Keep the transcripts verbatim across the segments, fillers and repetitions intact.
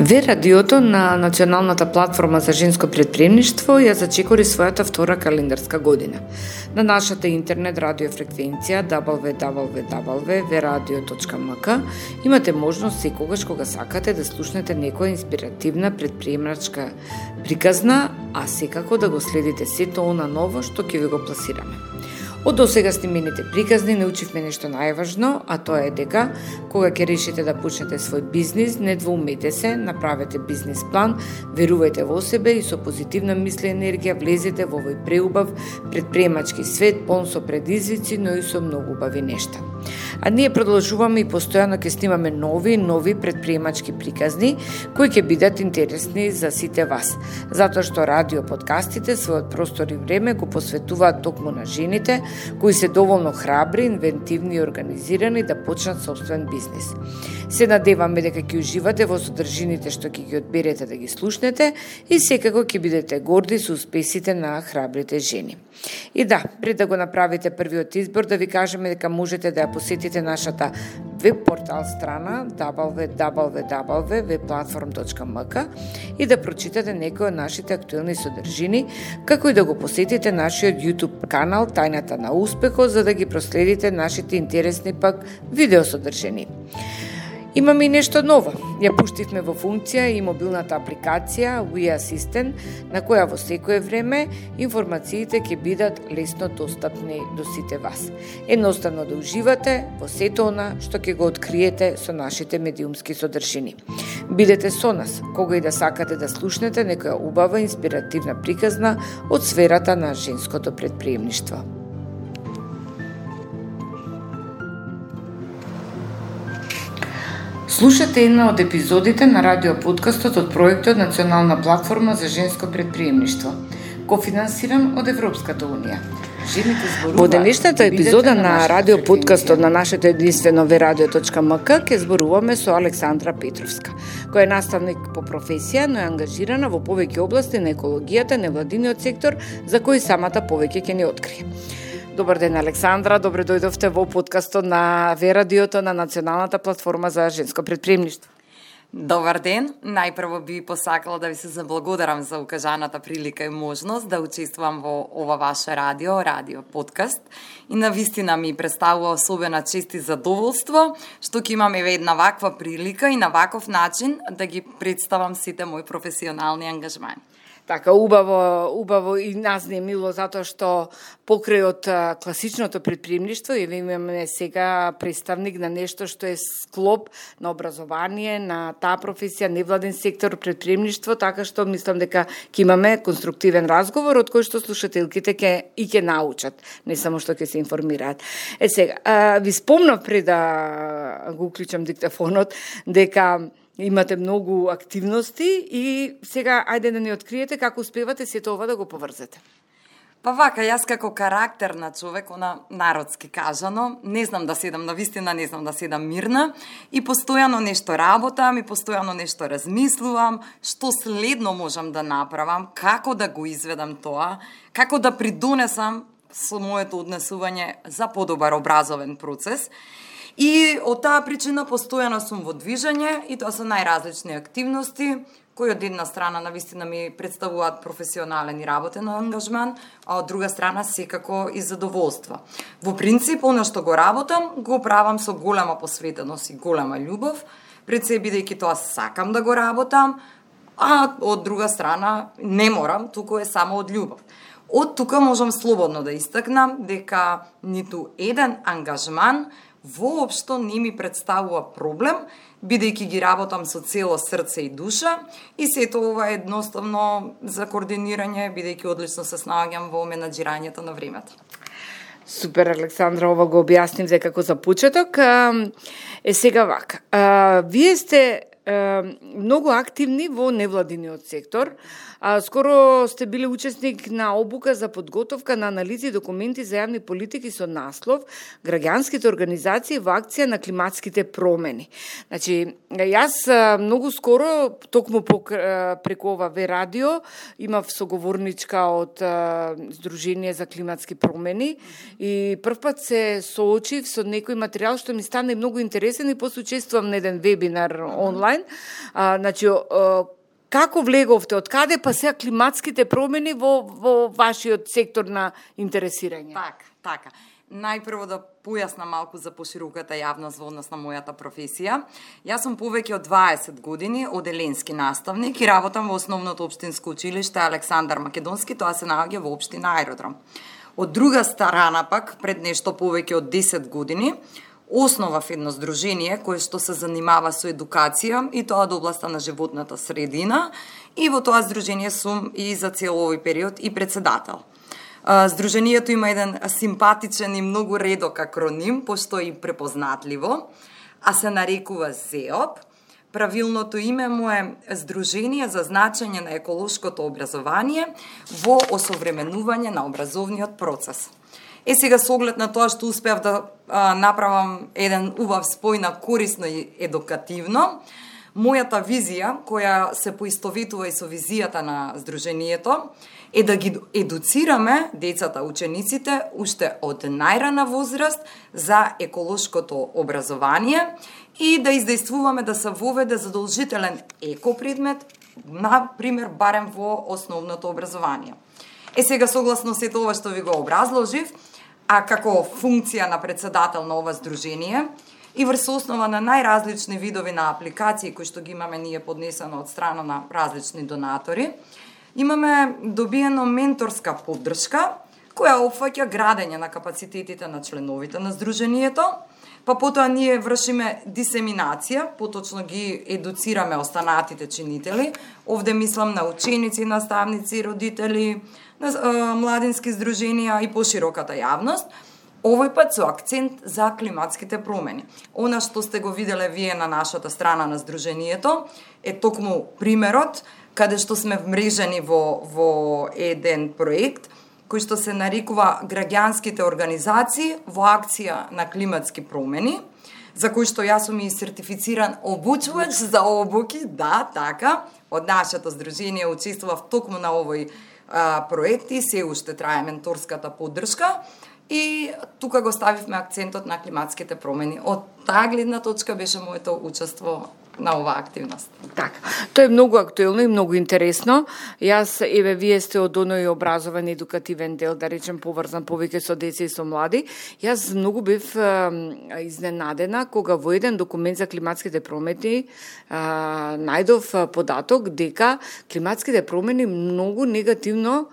Ве радиото на Националната платформа за женско претприемништво ја зачекори својата втора календарска година. На нашата интернет радио фреквенција дабл ю дабл ю дабл ю точка ве радио точка ем ка имате можност секогаш кога сакате да слушнете некоја инспиративна претприемачка приказна, а секако да го следите сето она ново што ќе ви го пласираме. Од досега снимените приказни научивме нешто најважно, а тоа е дека кога ќе решите да почнете свој бизнис, не двоумете се, направете бизнис план, верувајте во себе и со позитивна мисла и енергија влезете во овој преубав претприемачки свет, полн со предизвици, но и со многу убави нешта. А ние продолжуваме и постојано ќе снимаме нови и нови претприемачки приказни кои ќе бидат интересни за сите вас, затоа што радио подкастите својот простор и време го посветуваат токму на жените кои се доволно храбри, инвентивни и организирани да почнат собствен бизнис. Се надеваме дека ќе уживате во содржините што ќе ги одберете да ги слушнете и секако ќе бидете горди со успесите на храбрите жени. И да, пред да го направите првиот избор, да ви кажеме дека можете да ја посетите нашата веб портал страна дабл ю дабл ю дабл ю точка ве платформ точка ем ка и да прочитате некои од нашите актуелни содржини, како и да го посетите нашиот YouTube канал Тајната на успехот, за да ги проследите нашите интересни пак видео содржини. Имаме и нешто ново. Ја пуштивме во функција и мобилната апликација We Assistant, на која во секое време информациите ќе бидат лесно достапни до сите вас. Едноставно да уживате во сето она што ќе го откриете со нашите медиумски содржини. Бидете со нас, кога и да сакате да слушнете некоја убава инспиративна приказна од сферата на женското претприемништво. Слушате една од епизодите на радио подкастот од проектот Национална платформа за женско претприемништво, кофинансиран од Европската унија. Во денешната епизода на радио подкастот на нашето единствено ве радио точка ем ка ќе зборуваме со Александра Петровска, која е наставник по професија, но е ангажирана во повеќе области на екологијата, невладиниот сектор, за кој самата повеќе ќе ни открие. Добар ден, Александра, добре дојдовте во подкастот на ве радиото на Националната платформа за женско претприемништво. Добар ден, најпрво би посакала да ви се заблагодарам за укажаната прилика и можност да учествувам во ова ваше радио, радио подкаст. И навистина ми представува особена чест и задоволство што ќе имам еве една ваква прилика и на ваков начин да ги представам сите мои професионални ангажмани. Така, убаво, убаво и нас не е мило затоа што покрај од класичното претприемништво и имаме сега представник на нешто што е склоп на образование, на таа професија, невладен сектор, претприемништво, така што мислам дека ќе имаме конструктивен разговор од кој што слушателките ќе и ќе научат, не само што ќе се информираат. Е сега, а, ви спомнав пред да го уклучам диктафонот дека имате многу активности и сега ајде да ни откриете како успевате сето ова да го поврзете. Па вака, јас како карактер на човек, она народски кажано, не знам да седам на вистина, не знам да седам мирна и постојано нешто работам и постојано нешто размислувам, што следно можам да направам, како да го изведам тоа, како да придонесам со моето однесување за подобар образовен процес. И од таа причина постојано сум во движење и тоа се најразлични активности кои од една страна навистина ми представуваат професионален и работен ангажман, а од друга страна секако и задоволство. Во принцип, оно што го работам, го правам со голема посветеност и голема љубов, пред се бидејќи тоа сакам да го работам, а од друга страна не морам, туку е само од љубов. Од тука можам слободно да истакнам дека ниту еден ангажман воопшто не ми представува проблем, бидејќи ги работам со цело срце и душа и сето ова е едноставно за координирање, бидејќи одлично се снаоѓам во менаџирањето на времето. Супер, Александра, ова го објаснив како за почеток. Е сега вака, вие сте многу активни во невладиниот сектор. А, скоро сте били учесник на обука за подготовка на анализи и документи за јавни политики со наслов Граѓанските организации во акција на климатските промени. Значи, јас многу скоро, токму преку ова ве радио, имав соговорничка од Сдружение за климатски промени и првпат се соочив со некој материјал што ми стана многу интересен и после учествувам на еден вебинар онлайн онлайн. А, значи, како влеговте, од каде па сега климатските промени во, во вашиот сектор на интересирање? Така, така. Најпрво да појаснам малку за пошироката јавност во однос на мојата професија. Јас сум повеќе од дваесет години оделенски наставник и работам во основното општинско училиште Александар Македонски, тоа се наоѓа во општина Аеродром. Од друга страна пак, пред нешто повеќе од десет години, основав едно здружение кое што се занимава со едукација и тоа до областа на животната средина, и во тоа здружение сум и за цел овој период и председател. Здружението има еден симпатичен и многу редок акроним, пошто и препознатливо, а се нарекува ЗЕОП. Правилното име му е Здружение за значење на еколошкото образование во осовременување на образовниот процес. Е, сега со оглед на тоа што успеав да а, направам еден убав спој на корисно и едукативно, мојата визија, која се поистоветува и со визијата на Здружението, е да ги едуцираме децата, учениците, уште од најрана возраст за еколошкото образование и да издействуваме да се воведе задолжителен екопредмет, на пример, барем во основното образование. Е, сега, согласно сето ова што ви го образложив, а како функција на председател на ова здружение, и врз основа на најразлични видови на апликации кои што ги имаме ние поднесено од страна на различни донатори, имаме добиено менторска поддршка која опфаќа градење на капацитетите на членовите на здружението, па потоа ние вршиме дисеминација, поточно ги едуцираме останатите чинители, овде мислам на ученици, наставници, родители, на а, младински здруженија и пошироката јавност, овој пат со акцент за климатските промени. Она што сте го виделе вие на нашата страна на здружението е токму примерот каде што сме вмрежени во, во еден проект кој што се нарекува Граѓанските организации во акција на климатски промени, за кој што јас сум и сертифициран обучувач за обуки, да, така, од нашето здружение учествував токму на овој а, проект и се уште трае менторската поддршка. И тука го ставивме акцентот на климатските промени. Од таа гледна точка беше моето учество на оваа активност. Така. Тоа е многу актуелно и многу интересно. Јас, еве, вие сте од оној образован едукативен дел, да речем, поврзан повеќе со деца и со млади. Јас многу бев е, изненадена кога во еден документ за климатските промени е, најдов податок дека климатските промени многу негативно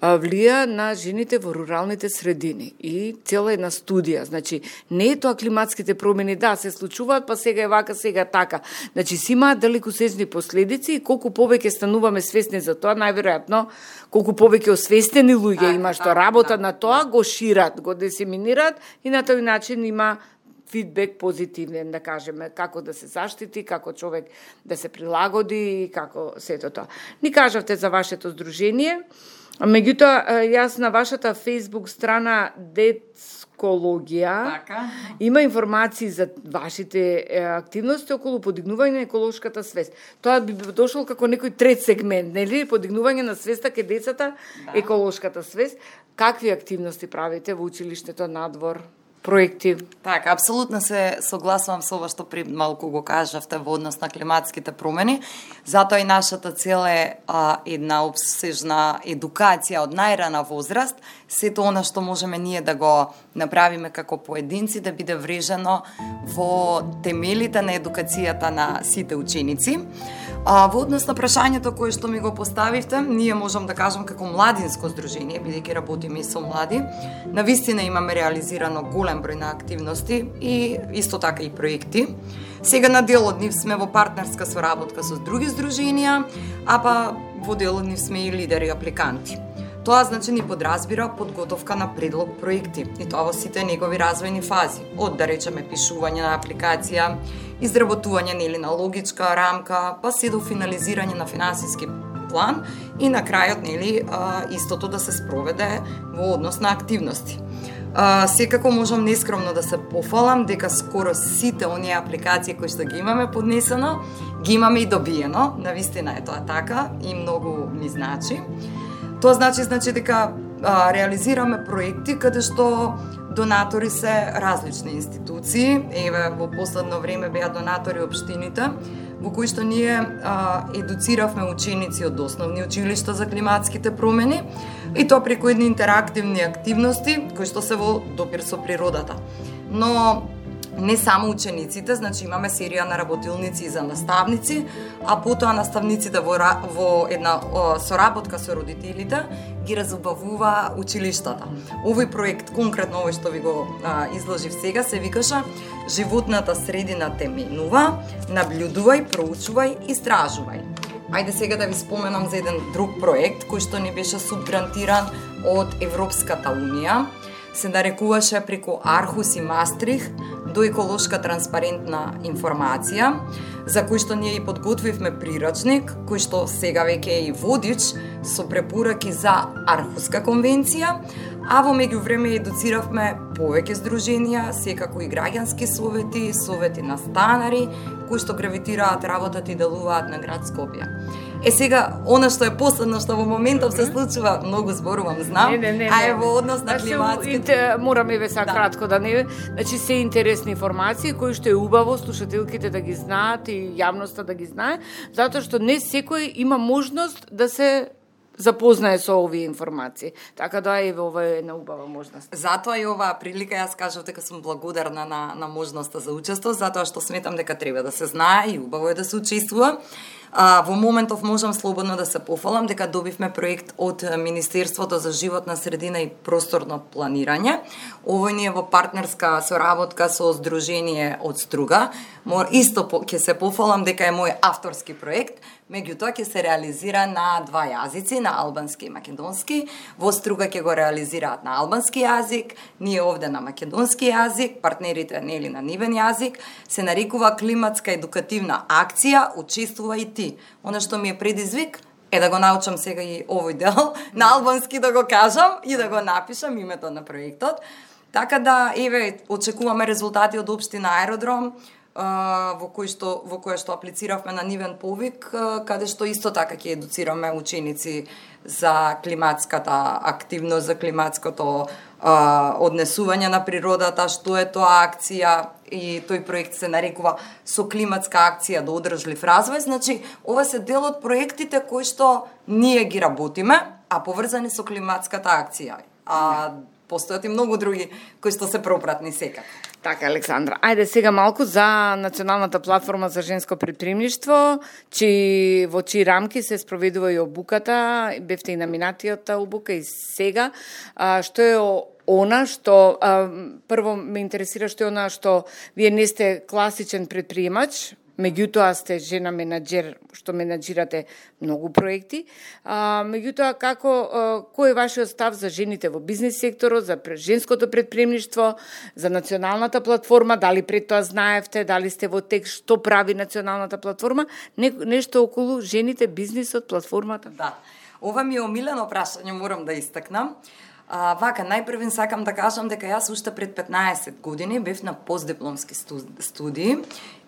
влија на жените во руралните средини и цела една студија. Значи, не е тоа климатските промени, да, се случуваат, па сега е вака, сега така. Значи, си имаат далекосечни последици и колку повеќе стануваме свесни за тоа, најверојатно, колку повеќе освестени луѓе има што работа на тоа, го шират, го дисеминираат и на тој начин има фидбек позитивен, да кажеме, како да се заштити, како човек да се прилагоди и како сето тоа. Ни кажавте за вашето здружение. Меѓутоа, јас на вашата Facebook страна Детскологија така има информации за вашите активности околу подигнување на еколошката свест. Тоа би дошло како некој трет сегмент, нели? Подигнување на свеста кај децата, да. Еколошката свест. Какви активности правите во училиштето, надвор? Проекти. Така, апсолутно се согласувам со ова што при малку го кажавте во однос на климатските промени. Затоа и нашата цел е а, една обсежна едукација од најрана возраст, сето она што можеме ние да го направиме како поединци да биде врежено во темелите на едукацијата на сите ученици. А, во однос на прашањето кое што ми го поставивте, ние можам да кажам како младинско здружение, бидејќи работиме и со млади, навистина имаме реализирано голем број на активности и исто така и проекти. Сега на дел од нив сме во партнерска соработка со други здруженија, а па во дел од нив сме и лидери апликанти. Тоа значи ни подразбира подготовка на предлог проекти и тоа во сите негови развојни фази, од да речеме пишување на апликација, изработување нели на логичка рамка, па се до финализирање на финансиски план и на крајот нели истото да се спроведе во однос на активности. А, секако можам нескромно да се пофалам дека скоро сите оние апликации кои што ги имаме поднесено, ги имаме и добиено. Навистина е тоа така и многу ми значи. Тоа значи значи дека а, реализираме проекти каде што Донатори се различни институции, еве во последно време беа донатори општините, во кои што ние а, едуциравме ученици од основни училишта за климатските промени, и тоа преку едни интерактивни активности кои што се во допир со природата. Но не само учениците, значи имаме серија на работилници и за наставници, а потоа наставниците во, во една о, соработка со родителите ги разубавува училиштата. Овој проект, конкретно овој што ви го а, изложив сега, се викаше "Животната средина те менува, наблюдувај, проучувај, истражувај". Ајде сега да ви споменам за еден друг проект кој што ни беше субгрантиран од Европската унија. Се нарекуваше преку Архус и Мастрих до еколошка транспарентна информација, за кој што ние и подготвивме прирачник, кој што сега веќе е и водич со препораки за Архуска конвенција, а во меѓувреме едуциравме повеќе здруженија, секако и граѓански совети, совети на станари, кои што гравитираат, работат и делуваат на град Скопје. Е сега, она што е последно што во моментов се случува, многу зборувам, знам, не, не, не, а е во однос на климатските... Морам еве са да. кратко да не... Значи, се интересни информации кои што е убаво слушателките да ги знаат и јавноста да ги знае, затоа што не секој има можност да се запознае со овие информации. Така да еве ова е една убава можност. Затоа и оваа прилика јас кажав дека сум благодарна на на можноста за учество, затоа што сметам дека треба да се знае и убаво е да се учествува. А, во моментов можам слободно да се пофалам дека добивме проект од Министерството за животна средина и просторно планирање. Овој ни е во партнерска соработка со Сдружение од Струга. Мор исто по, ќе се пофалам дека е мој авторски проект, меѓутоа ќе се реализира на два јазици, на албански и македонски. Во Струга ќе го реализираат на албански јазик, ние овде на македонски јазик, партнерите нели на нивен јазик. Се нарекува климатска едукативна акција "Учествувај и ти". Она што ми е предизвик е да го научам сега и овој дел на албански, да го кажам и да го напишам името на проектот. Така да, еве, очекуваме резултати од општина Аеродром, во кој што во која што аплициравме на нивен повик, каде што исто така ќе едуцираме ученици за климатската активност, за климатското а, однесување на природата, што е тоа акција, и тој проект се нарекува "Со климатска акција до одржлив развој". Значи, ова се дел од проектите кои што ние ги работиме, а поврзани со климатската акција. А постојат и многу други кои што се пропратни секако. Така, Александра. Ајде сега малку за Националната платформа за женско предприемништво, чи во чии рамки се спроведува и обуката, бевте и на минатијата обука и сега. А, што е она што, а, прво ме интересира што е она што вие не сте класичен предприемач, меѓутоа сте жена менаџер, што менаџирате многу проекти. А, меѓутоа, како, а, кој е вашиот став за жените во бизнес секторот, за женското предприемништво, за Националната платформа, дали пред тоа знаевте, дали сте во текст, што прави Националната платформа, не, нешто околу жените, бизнисот, платформата? Да, ова ми е омилено прашање, морам да истакнам. А, вака, најпрвен сакам да кажам дека јас уште пред петнаесет години бев на постдипломски студии,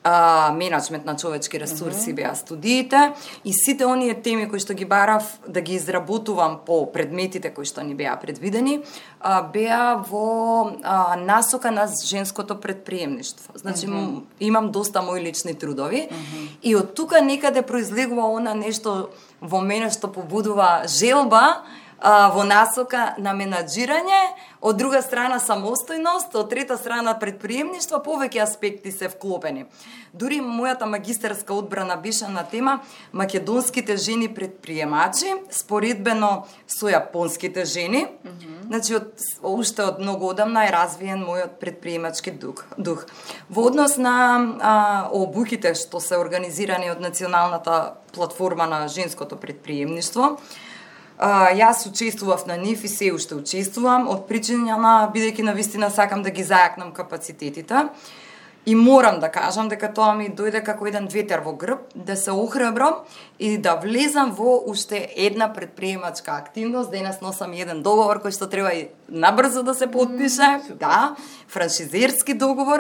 а, менеджмент на човечки ресурси uh -huh. беа студиите, и сите оние теми кои што ги барав да ги изработувам по предметите кои што ни беа предвидени, а, беа во а, насока на женското предприемништво. Значи, uh -huh. имам доста мои лични трудови uh -huh. и од тука некаде произлегува она нешто во мене што побудува желба во насока на менаџирање, од друга страна самостојност, од трета страна предприемништво, повеќе аспекти се вклопени. Дури мојата магистарска одбрана беше на тема македонските жени предприемачи, споредбено со јапонските жени. Mm -hmm. Значи, од, уште од многу одамна е развиен мојот предприемачки дух. дух. Во однос на а, обуките што се организирани од Националната платформа на женското предприемништво, Uh, јас учествував на нив и се уште учествувам, од причина на, бидејќи навистина сакам да ги зајакнам капацитетите. И морам да кажам дека тоа ми дојде како еден ветер во грб, да се охрабрам и да влезам во уште една предприемачка активност. Денес носам еден договор кој што треба и набрзо да се подпише, mm, да, франшизерски договор.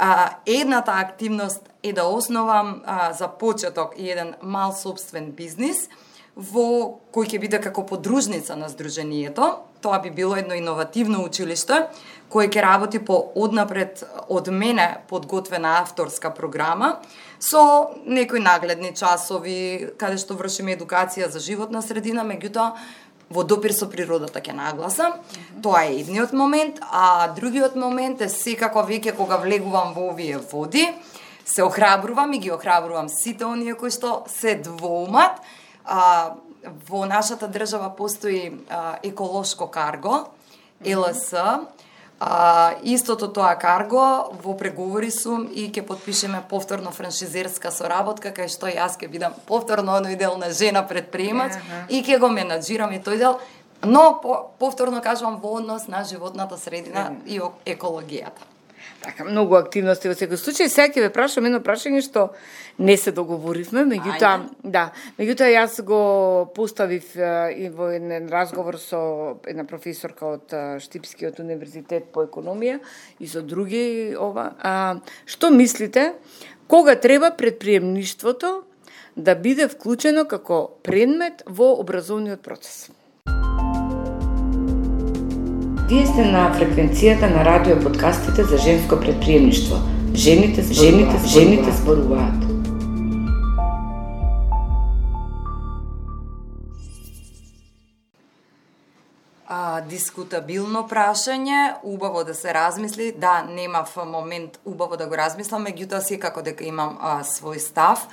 Uh, едната активност е да основам uh, за почеток еден мал собствен бизнис, во кој ќе биде како подружница на Сдруженијето. Тоа би било едно иновативно училиште кој ќе работи по однапред од мене подготвена авторска програма со некои нагледни часови каде што вршиме едукација за животна средина, меѓутоа во допир со природата ќе нагласам. Mm-hmm. Тоа е едниот момент, а другиот момент е секако веќе кога влегувам во овие води, се охрабрувам и ги охрабрувам сите оние кои што се двоумат. А, во нашата држава постои а, еколошко карго, Ел Ес. А, истото тоа карго во преговори сум и ќе потпишеме повторно франшизерска соработка, кај што јас ќе бидам повторно оној дел на жена предприемач uh-huh. и ќе го менаџирам и тој дел, но по, повторно кажувам во однос на животната средина uh-huh. и екологијата. Така, многу активности во секој случај. Сега ќе ве прашам едно прашање што не се договоривме, меѓутоа, да, меѓутоа јас го поставив и во еден разговор со една професорка од Штипскиот универзитет по економија и со други ова. А, што мислите, кога треба предприемништвото да биде вклучено како предмет во образовниот процес? Вие сте на фреквенцијата на радио подкастите за женско предприемништво. Жените, жените, жените зборуваат. А, дискутабилно прашање, убаво да се размисли. Да, немав момент убаво да го размислам, меѓутоа секако дека имам а, свој став.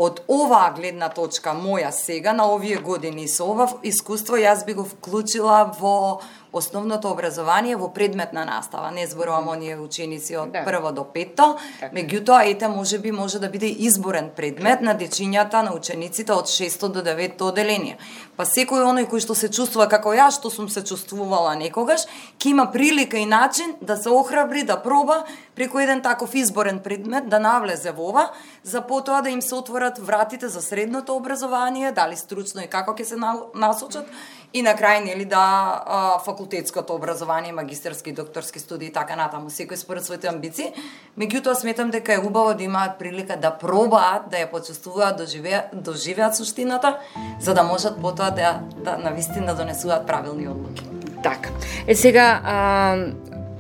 Од оваа гледна точка моја сега, на овие години со ова искуство, јас би го вклучила во основното образование во предметна настава. Не зборувам оние ученици од да. прво до петто, меѓутоа ете можеби може да биде изборен предмет на дечињата, на учениците од шесто до деветто оделение. Па секој оној кој што се чувствува како јас, што сум се чувствувала некогаш, ќе има прилика и начин да се охрабри, да проба преку еден таков изборен предмет да навлезе во ова, за потоа да им се отворат вратите за средното образование, дали стручно и како ќе се насочат, и на крај нели да а, факултетското образование, магистерски, докторски студии и така натаму, секој според своите амбиции. Меѓутоа сметам дека е убаво да имаат прилика да пробаат, да ја почувствуваат, доживеат, доживеат суштината, за да можат потоа да, да навистина донесуваат правилни одлуки. Така. Е сега а,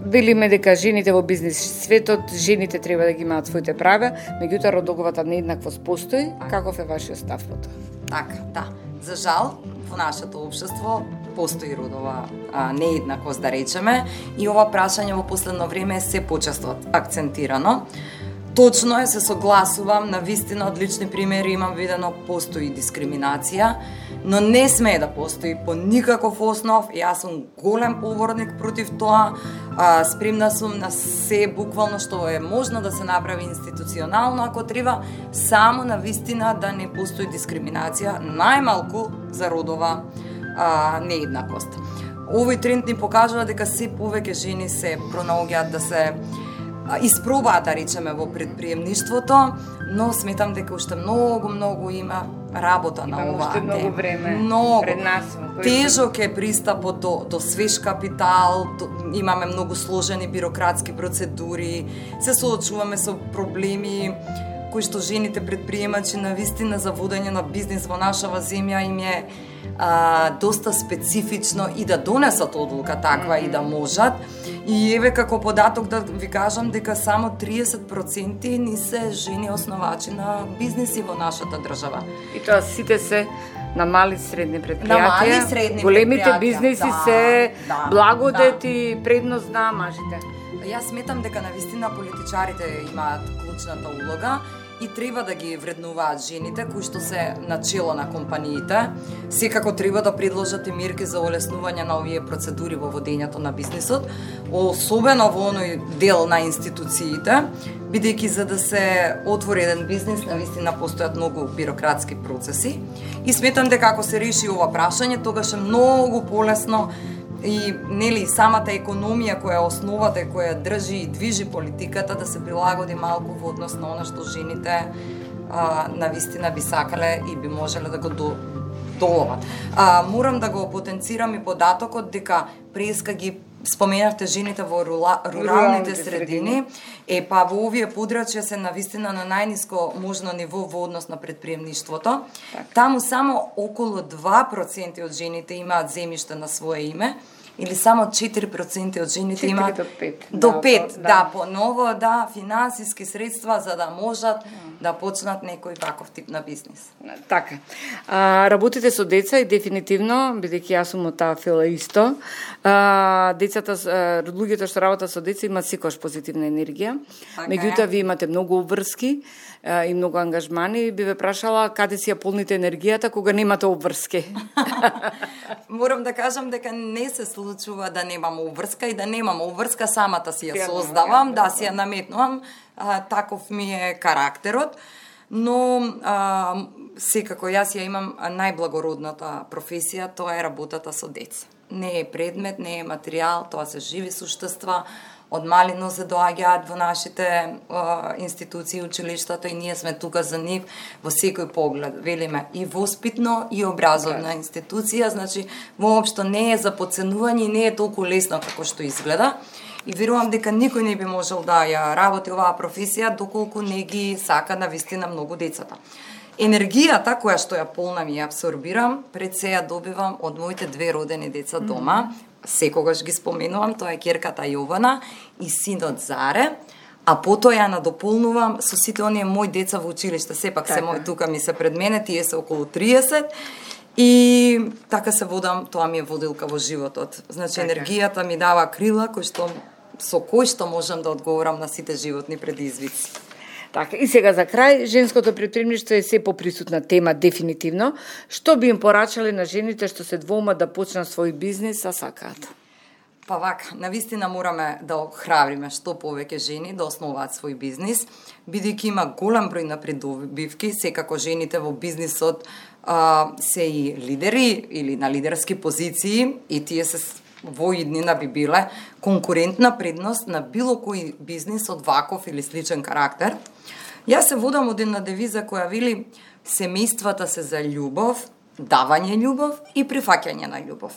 велиме дека жените во бизнес светот, жените треба да ги имаат своите права, меѓутоа родоговата нееднаквост постои. Каков е вашиот став по тоа? Така, да. За жал, во нашето општество постои родова а, нееднаквост, да речеме, и ова прашање во последно време е се почесто акцентирано. Точно е, се согласувам, на вистина од лични примери имам видено постои дискриминација, но не смее да постои по никаков основ. Јас сум голем поборник против тоа, а, спремна сум на се буквално што е можно да се направи институционално ако треба, само на вистина да не постои дискриминација, најмалку за родова а, нееднаквост. Овој тренд ни покажува дека се повеќе жени се пронаоѓаат да се испробаат, да речеме, во предприемништвото, но сметам дека уште многу, многу има работа на Имам оваа уште многу тема. време Многу. пред нас. Тежок е пристапот до, до свеж капитал, до, имаме многу сложени бирократски процедури, се соочуваме со проблеми кои што жените предприемачи на вистина за водење на бизнис во нашава земја им е а, доста специфично и да донесат одлука таква mm-hmm. и да можат. И еве како податок да ви кажам дека само триесет проценти ни се жени основачи на бизниси во нашата држава. И тоа сите се на мали средни предпријатија. На мали средни Големите предпријатија, бизниси да, се да, благодет да. и предност на мажите. Јас сметам дека навистина политичарите имаат клучната улога и треба да ги вреднуваат жените кои што се начело на компаниите. Секако треба да предложат и мерки за олеснување на овие процедури во водењето на бизнисот, особено во оној дел на институциите, бидејќи за да се отвори еден бизнис, навистина постојат многу бирократски процеси. И сметам дека ако се реши ова прашање, тогаш е многу полесно и нели самата економија која е основата, која држи и движи политиката, да се прилагоди малку во однос на она што жените а, навистина би сакале и би можеле да го до, доловат. А, морам да го потенцирам и податокот дека преска ги споменавте жените во рула, руралните средини, е па во овие подрачја се навистина на најниско можно ниво во однос на предприемништвото. Так. Таму само околу два проценти од жените имаат земјиште на свое име, или само четири проценти од жените имаат до пет. До пет, да, да, поново, да, финансиски средства за да можат да почнат некој ваков тип на бизнис. Така. А, работите со деца и дефинитивно, бидејќи јас сум од таа фила исто, а, децата, луѓето што работат со деца имаат секогаш позитивна енергија. Така Меѓутоа, вие имате многу обврски а, и многу ангажмани. Би ве прашала каде си ја полните енергијата кога немате обврски? Морам да кажам дека не се случува да немам обврска и да немам обврска, самата си ја создавам, да си ја наметнувам, а, таков ми е карактерот, но а, секако јас ја имам најблагородната професија, тоа е работата со деца. Не е предмет, не е материјал, тоа се живи суштества, од малино се доаѓаат во нашите а, институции, училиштата и ние сме тука за нив во секој поглед. Велиме и воспитно и образовна институција, значи воопшто не е за подценување и не е толку лесно како што изгледа. И верувам дека никој не би можел да ја работи оваа професија доколку не ги сака навистина многу децата. Енергијата која што ја полнам и ја абсорбирам, пред се ја добивам од моите две родени деца дома. Секогаш ги споменувам, тоа е ќерката Јована и синот Заре, а потоа ја надополнувам со сите оние мои деца во училиште, сепак така. Се мои тука ми се пред мене, тие се околу триесет, и така се водам, тоа ми е водилка во животот. Значи така. Енергијата ми дава крила кој што, со кој што можам да одговорам на сите животни предизвици. Така, и сега за крај, женското предприемништво е се поприсутна тема дефинитивно. Што би им порачале на жените што се двоумат да почнат свој бизнис, а сакаат? Па вака, навистина мораме да охрабриме што повеќе жени да основаат свој бизнис, бидејќи има голем број на придобивки, секако жените во бизнисот а, се и лидери или на лидерски позиции и тие се во иднина би биле конкурентна предност на било кој бизнис од ваков или сличен карактер. Јас се водам од една девиза која вели семејствата се за љубов, давање љубов и прифаќање на љубов.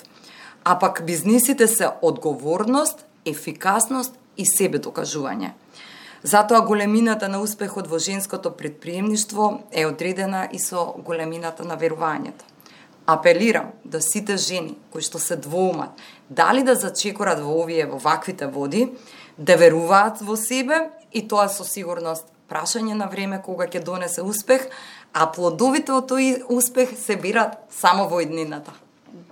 А пак бизнисите се одговорност, ефикасност и себе докажување. Затоа големината на успехот во женското предприемништво е одредена и со големината на верувањето. Апелирам до сите жени кои што се двоумат дали да зачекорат во овие во ваквите води, да веруваат во себе и тоа со сигурност прашање на време кога ќе донесе успех, а плодовите од тој успех се бират само во иднината.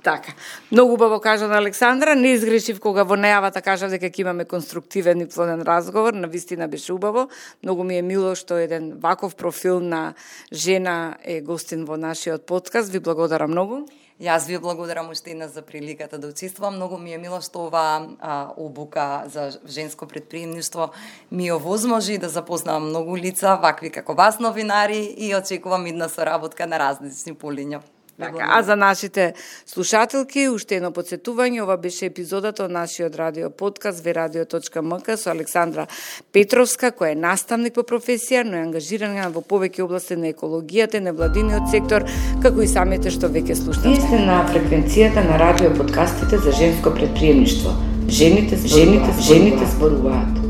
Така. Многу убаво кажа на Александра, не изгрешив кога во најавата кажа дека ќе имаме конструктивен и плоден разговор, навистина беше убаво. Многу ми е мило што еден ваков профил на жена е гостин во нашиот подкаст. Ви благодарам многу. Јас ви благодарам уште една за приликата да учествувам. Многу ми е мило што оваа обука за женско предприемништво ми овозможи да запознавам многу лица, вакви како вас новинари, и очекувам идна соработка на различни полиња. Така, а за нашите слушателки, уште едно подсетување, ова беше епизодата од нашиот радио подкаст ве радио точка ем ка со Александра Петровска, која е наставник по професија, но е ангажирана во повеќе области на екологијата и невладиниот сектор, како и самите што веќе слушнавте. Вие сте на фреквенцијата на радио подкастите за женско предприемништво. Жените, жените, жените зборуваат.